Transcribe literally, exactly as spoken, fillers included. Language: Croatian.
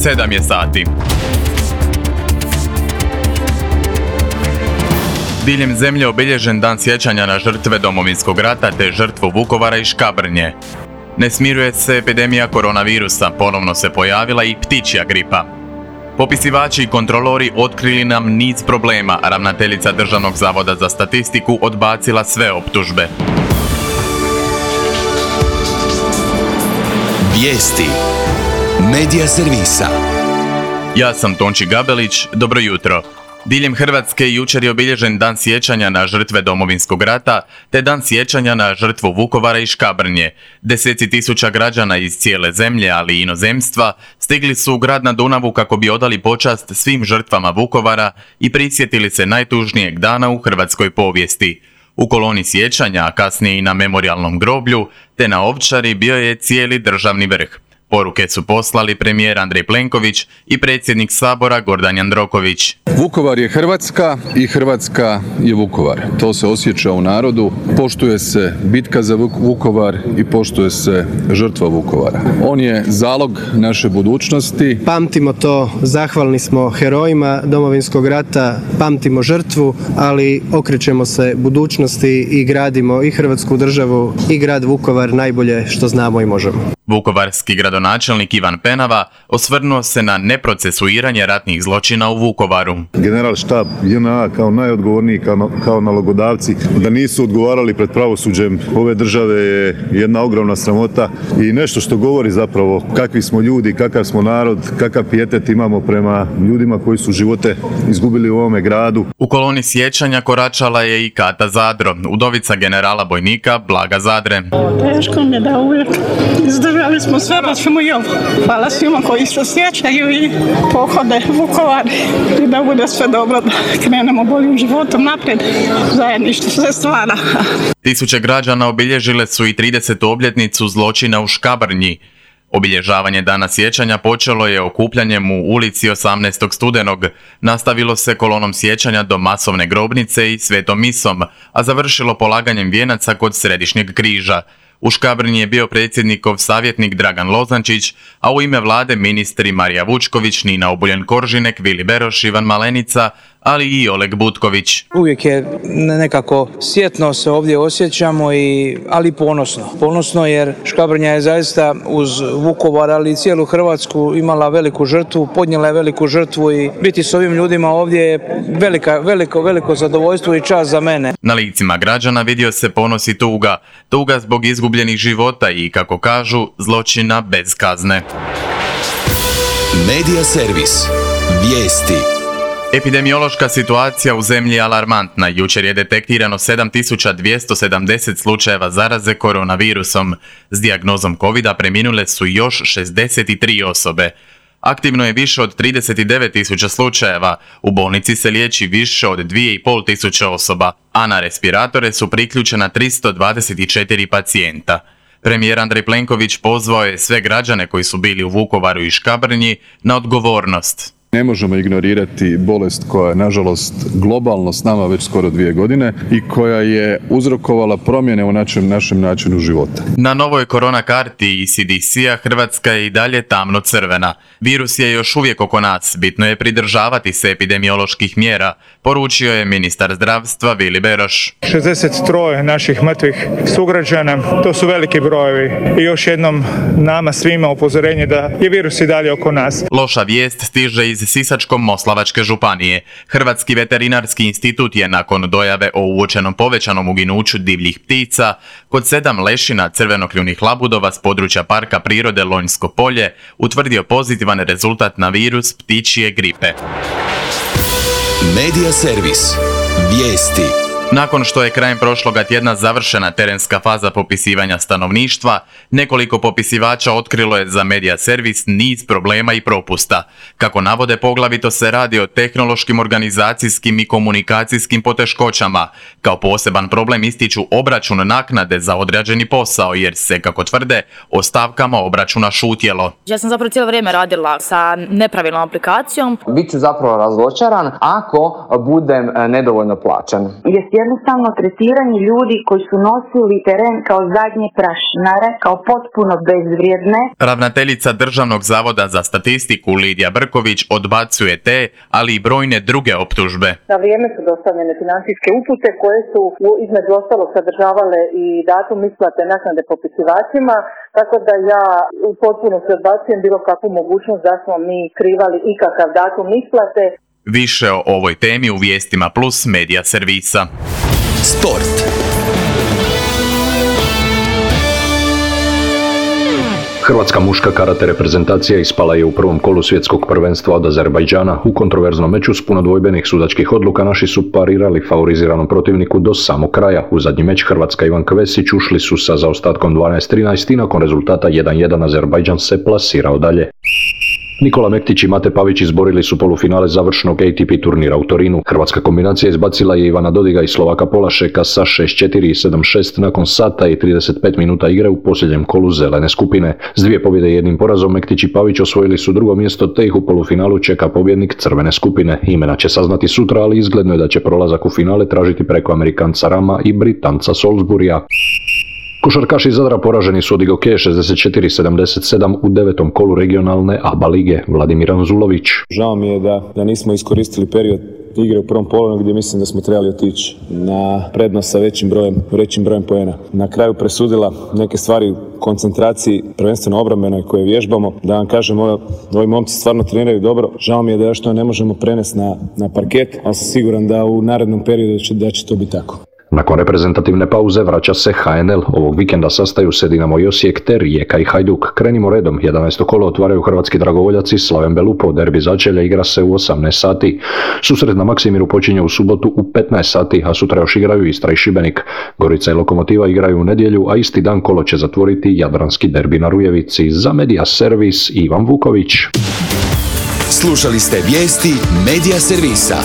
sedam je sati. Diljem zemlje obilježen dan sjećanja na žrtve Domovinskog rata te žrtvu Vukovara i Škabrnje. Ne smiruje se epidemija koronavirusa, ponovno se pojavila i ptičja gripa. Popisivači i kontrolori otkrili nam niz problema, a ravnateljica Državnog zavoda za statistiku odbacila sve optužbe. Vijesti Medija servisa. Ja sam Tonči Gabelić, dobro jutro. Diljem Hrvatske jučer je obilježen dan sjećanja na žrtve Domovinskog rata, te dan sjećanja na žrtvu Vukovara i Škabrnje. Deseci tisuća građana iz cijele zemlje, ali i inozemstva, stigli su u grad na Dunavu kako bi odali počast svim žrtvama Vukovara i prisjetili se najtužnijeg dana u hrvatskoj povijesti. U koloni sjećanja, a kasnije i na memorijalnom groblju, te na Ovčari bio je cijeli državni vrh. Poruke su poslali premijer Andrej Plenković i predsjednik Sabora Gordan Jandroković. Vukovar je Hrvatska i Hrvatska je Vukovar. To se osjeća u narodu. Poštuje se bitka za Vukovar i poštuje se žrtva Vukovara. On je zalog naše budućnosti. Pamtimo to, zahvalni smo herojima Domovinskog rata, pamtimo žrtvu, ali okrećemo se budućnosti i gradimo i Hrvatsku državu i grad Vukovar najbolje što znamo i možemo. Vukovarski gradonačelnik Ivan Penava osvrnuo se na neprocesuiranje ratnih zločina u Vukovaru. General štab J N A kao najodgovorniji, kao, kao nalogodavci, da nisu odgovarali pred pravosuđem ove države je jedna ogromna sramota i nešto što govori zapravo kakvi smo ljudi, kakav smo narod, kakav pijetet imamo prema ljudima koji su živote izgubili u ovome gradu. U koloni sjećanja koračala je i Kata Zadro, udovica generala bojnika Blaga Zadre. Teško mi je da uvijek izdržali smo sve, pa ćemo i ovo. Hvala svima koji se sjećaju i pohode Vukovar i da bude sve dobro, da krenemo boljim životom naprijed, zajedništvo sve stvara. Tisuće građana obilježile su i tridesetu obljetnicu zločina u Škabrnji. Obilježavanje dana sjećanja počelo je okupljanjem u ulici osamnaestog studenog, nastavilo se kolonom sjećanja do masovne grobnice i svetom misom, a završilo polaganjem vijenaca kod Središnjeg križa. U Škabrnji je bio predsjednikov savjetnik Dragan Lozančić, a u ime vlade ministri Marija Vučković, Nina Obuljen-Koržinek, Vili Beroš, Ivan Malenica, ali i Oleg Butković. Uvijek je nekako sjetno se ovdje osjećamo, i, ali ponosno. Ponosno jer Škabrnja je zaista uz Vukovar, ali i cijelu Hrvatsku imala veliku žrtvu, podnijela je veliku žrtvu i biti s ovim ljudima ovdje je velika, veliko, veliko zadovoljstvo i čast za mene. Na licima građana vidio se ponos i tuga. Tuga zbog izgubljenih života i, kako kažu, zločina bez kazne. Medija servis. Vijesti. Epidemiološka situacija u zemlji je alarmantna. Jučer je detektirano sedam tisuća dvjesto sedamdeset slučajeva zaraze koronavirusom. S dijagnozom kovida preminule su još šezdeset tri osobe. Aktivno je više od trideset devet tisuća slučajeva, u bolnici se liječi više od dvije i pol tisuće osoba, a na respiratore su priključena tristo dvadeset četiri pacijenta. Premijer Andrej Plenković pozvao je sve građane koji su bili u Vukovaru i Škabrnji na odgovornost. Ne možemo ignorirati bolest koja je, nažalost, globalno s nama već skoro dvije godine i koja je uzrokovala promjene u našem, našem načinu života. Na novoj korona karti C D C-a Hrvatska je i dalje tamno crvena. Virus je još uvijek oko nas, bitno je pridržavati se epidemioloških mjera, poručio je ministar zdravstva Vili Beroš. šezdeset tri naših mrtvih sugrađana, to su veliki brojevi i još jednom nama svima upozorenje da je virus i dalje oko nas. Loša vijest stiže iz Sisačko-moslavačke županije. Hrvatski veterinarski institut je nakon dojave o uočenom povećanom uginuću divljih ptica kod sedam lešina crvenokljunih labudova s područja Parka prirode Lonjsko polje utvrdio pozitivan rezultat na virus ptičje gripe. Medija servis. Vijesti. Nakon što je krajem prošloga tjedna završena terenska faza popisivanja stanovništva, nekoliko popisivača otkrilo je za Medija servis niz problema i propusta. Kako navode, poglavito se radi o tehnološkim, organizacijskim i komunikacijskim poteškoćama. Kao poseban problem ističu obračun naknade za odrađeni posao, jer se, kako tvrde, o stavkama obračuna šutjelo. Ja sam zapravo cijelo vrijeme radila sa nepravilnom aplikacijom. Biću zapravo razočaran ako budem nedovoljno plaćen. jednostavno tretiranje ljudi koji su nosili teren kao zadnje prašinare, kao potpuno bezvrijedne. Ravnateljica Državnog zavoda za statistiku Lidija Brković odbacuje te, ali i brojne druge optužbe. Na vrijeme su dostavljene financijske upute koje su između ostalog sadržavale i datum isplate naknade popisivačima, tako da ja u potpunosti odbacujem bilo kakvu mogućnost da smo mi krivali ikakav datum isplate. Više o ovoj temi u Vijestima Plus medija servisa. Sport. Hrvatska muška karate reprezentacija ispala je u prvom kolu svjetskog prvenstva od Azerbajdžana. U kontroverznom meču s puno dvojbenih sudačkih odluka naši su parirali favoriziranom protivniku do samog kraja. U zadnji meč Hrvatska i Ivan Kvesić ušli su sa zaostatkom dvanaest trinaest i nakon rezultata jedan jedan Azerbajdžan se plasirao dalje. Nikola Mektić i Mate Pavić izborili su polufinale završnog A T P turnira u Torinu. Hrvatska kombinacija izbacila je Ivana Dodiga i Slovaka Polašeka sa šest četiri i sedam šest nakon sata i trideset pet minuta igre u posljednjem kolu zelene skupine. S dvije pobjede i jednim porazom Mektić i Pavić osvojili su drugo mjesto, te ih u polufinalu čeka pobjednik crvene skupine. Imena će saznati sutra, ali izgledno je da će prolazak u finale tražiti preko Amerikanca Rama i Britanca Salisburya. Košarkaši Zadra poraženi su od Igokeje šezdeset četiri sedamdeset sedam u devetom kolu regionalne A B A lige. Vladimir Anzulović. Žao mi je da, da nismo iskoristili period igre u prvom polu gdje mislim da smo trebali otići na prednost sa većim brojem, većim brojem poena. Na kraju presudila neke stvari u koncentraciji, prvenstveno obrambenoj koje vježbamo. Da vam kažem, ovi momci stvarno treniraju dobro. Žao mi je da još to ne možemo prenesti na, na parket, ali sam siguran da u narednom periodu će, da će to biti tako. Nakon reprezentativne pauze vraća se H N L. Ovog vikenda sastaju se Dinamo i Osijek te Rijeka i Hajduk. Krenimo redom. jedanaesto kolo otvaraju hrvatski dragovoljaci Slaven Belupo. Derbi začelja igra se u osamnaest sati. Susret na Maksimiru počinje u subotu u petnaest sati, a sutra još igraju Istra i Šibenik. Gorica i Lokomotiva igraju u nedjelju, a isti dan kolo će zatvoriti jadranski derbi na Rujevici. Za Medija servis Ivan Vuković. Slušali ste vijesti Medija servisa.